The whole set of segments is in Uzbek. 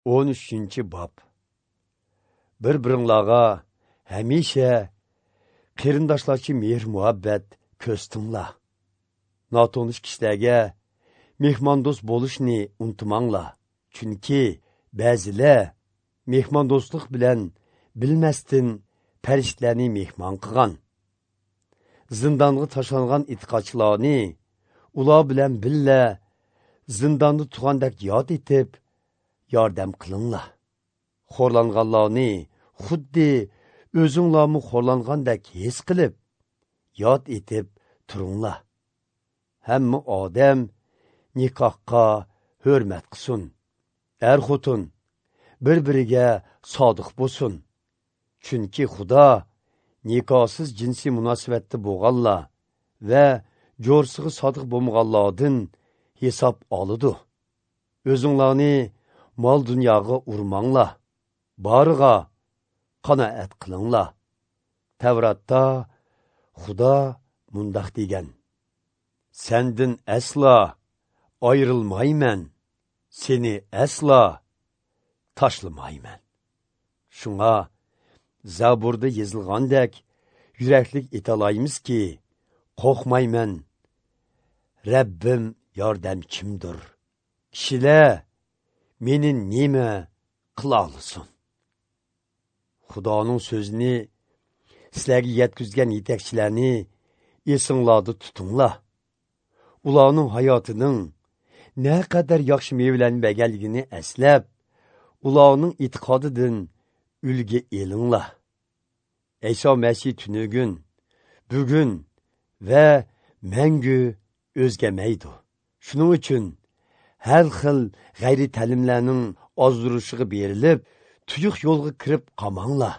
13-bob. Bir-biringlarga hamisha qarindoshlarcha mehr-muhabbat ko'rsatinglar. Notanish kishilarga mehmondo'st bo'lishni unutmanglar. Chunki ba'zilar mehmondo'stlik bilan bilmasdan farishtalarni mehmon qilgan. Zindonga tashlangan e'tiqodchilarni ular bilan billa zindonda turgandek yod etib yordam qilinglar. Xo'rlanganlarni xuddi o'zinglarmi xo'rlangandek his qilib yod etib turinglar. Hamma odam nikohga hurmat qilsin. Er-xotin bir-biriga sodiq bo'lsin. Chunki Xudo nikohsiz jinsiy munosabatda bo'lganlar va jo'rsiga sodiq bo'lmaganlardan hisob oladi. O'zinglarni mol dunyoga urmanglar, boriga qanoat qilinglar. Tavratda Xudo mundoq degan: Sendin aslo ayrilmayman, seni aslo tashlamayman. Shunga Zaburda yozilgandek yuraklik etalaymizki, qo'rqmayman. Rabbim yordamchimdir. Kishilar meni nima qila olsin? Xudoning so'zini sizlarga yetkazgan yetakchilarni esinglarda tutinglar. Ularning hayotining naqadar yaxshi mevalarni berganligini eslab, ularning e'tiqodidan ulgi elinglar. İso Masih tunugun, bugun va mangu o'zgarmaydi. Shuning uchun har xil g'ayri ta'limlarning ozdirishiga berilib, tuyuq yo'lga kirib qolmanglar.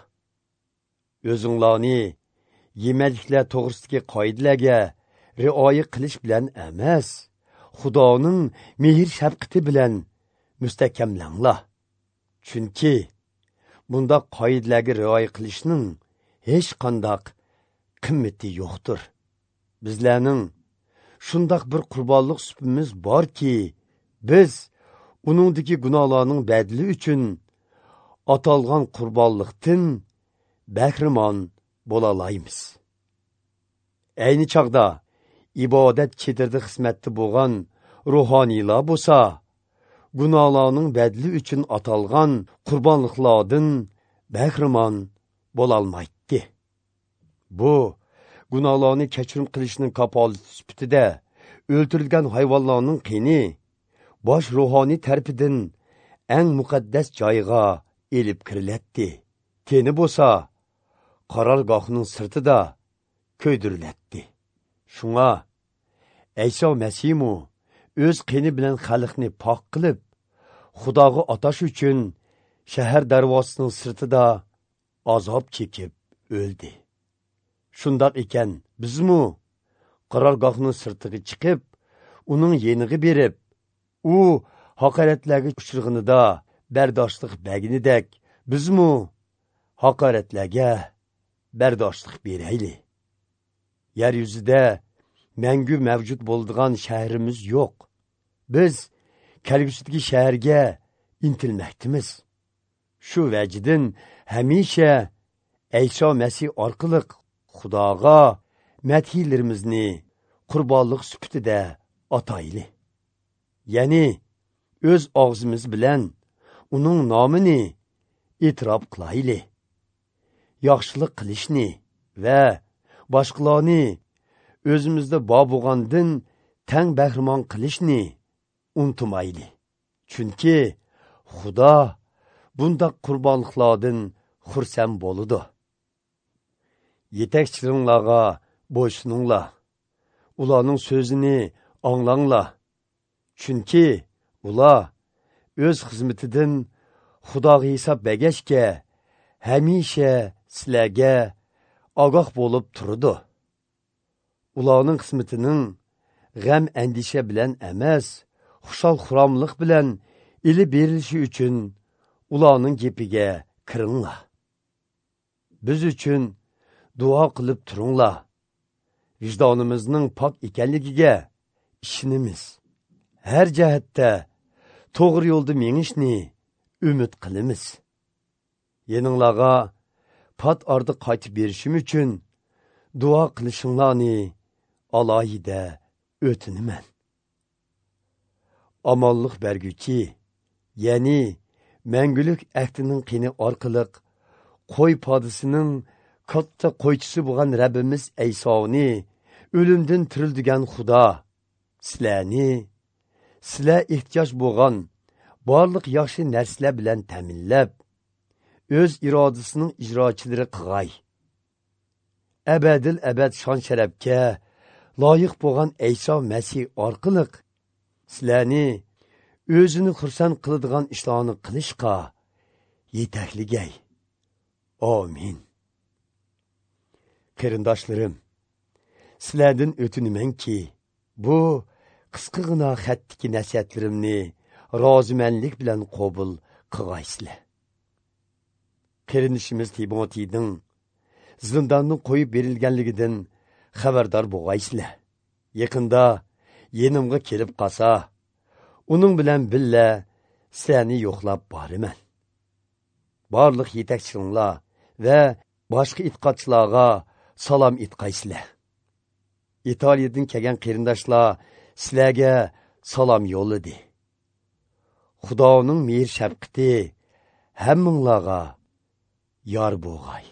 O'zinglarni yemakliklar to'g'risidagi qoidalarga rioya qilish bilan emas, Xudoning mehr shafqati bilan mustahkamlanglar. Chunki bundaq qoidalarga rioya qilishning hech qandaq qimmati yo'qdir. Bizlarning shundoq bir qurbonlik supimiz borki, biz uningdagi gunohlarning badli uchun atalgan qurbonlikdan bahramon bo'la olamiz. Ayni chog'da ibodat chedirda xizmatda bo'lgan ruhoniylar bo'lsa, gunohlarning badli uchun atalgan qurbonliklardan bahramon bo'lolmaydi. Bu gunohlarni kechirim qilishning kafolati sifatida o'ltirilgan hayvonlarning qini bosh ruhoniy tarafidan eng muqaddas joyga elib kirilatdi. Teni bo'lsa qarorgohning sirtida ko'ydirilatdi. Shunga İso Masihmu o'z qini bilan xalqni pok qilib, Xudoga atash uchun shahar darvozasining sirtida azob chekib o'ldi. Shundoq ekan, bizmu qarorgohning sirtiga chiqib, uning yeniga berib, u haqoratlarga uchrag'inida bardoshlik berganidek, bizmu haqoratlarga bardoshlik berayli. Yer yuzida mangu mavjud bo'ladigan shahrimiz yo'q. Biz kelgusidagi shaharga intilmoqdamiz. Shu vajidan hamisha İso Masih orqali Xudoga madhiylarimizni qurbonlik sifatida atayli. Ya'ni o'z og'zimiz bilan uning nomini e'tirof qilayli. Yaxshilik qilishni va boshqalarni o'zimizda bor bo'lgandan tang bahramon qilishni unutmayli. Chunki Xudo bundaq qurbonliklardan xursand bo'ladi. Yetakchilaringlarga bo'ysuninglar. Ularning so'zini anglanglar. Chunki ular o'z xizmatidan Xudoga hisob bergachga hamisha sizlarga ogoh bo'lib turadi. Ularning xizmatining g'am andisha bilan emas, xushal xuromlik bilan ilib berilishi uchun ularning gapiga kiringlar. Biz uchun duo qilib turinglar. Vijdonimizning pok ekanligiga ishonamiz. Har jihatda to'g'ri yo'lda mengishni umid qilamiz. Yeninglarga pat ardı qaytib berishim uchun duo qilishinglarni alohida o'tinaman. Omonlik berguchi, ya'ni mangulik ahdining qini orqali qo'y podisining katta qo'ychisi bo'lgan Rabbimiz Aysoni o'limdan tirildigan Xudo sizlarni sizlar ehtiyoj bo'lgan barliq yaxshi narsalar bilan ta'minlab, o'z irodasining ijrochilari qilg'ay. Abadil abad shon sharafga loyiq bo'lgan Ayso Masih orqali sizlarni o'zini xursand qiladigan ishlarni qilishga yetakligay. Amin. Qarindoshlarim, sizlardan o'tinamanki, bu qisqagina xatdagi nasihatlarimni rozimanlik bilan qabul qilg'aysizlar. Qarindishimiz Timotiyning zindondan qo'yib berilganligidan xabardor bo'lg'aysizlar. Yaqinda yenimga kelib qolsa, uning bilan billa sizlarni yo'qlab boraman. Barliq yetakchilar va boshqa e'tiqodchilarga salom aytqaysizlar. Italiyadan kelgan qarindoshlar sizlarga salom yo'lladi. Xudoning mehr shafqati hammanglarga yor bo'lg'ay.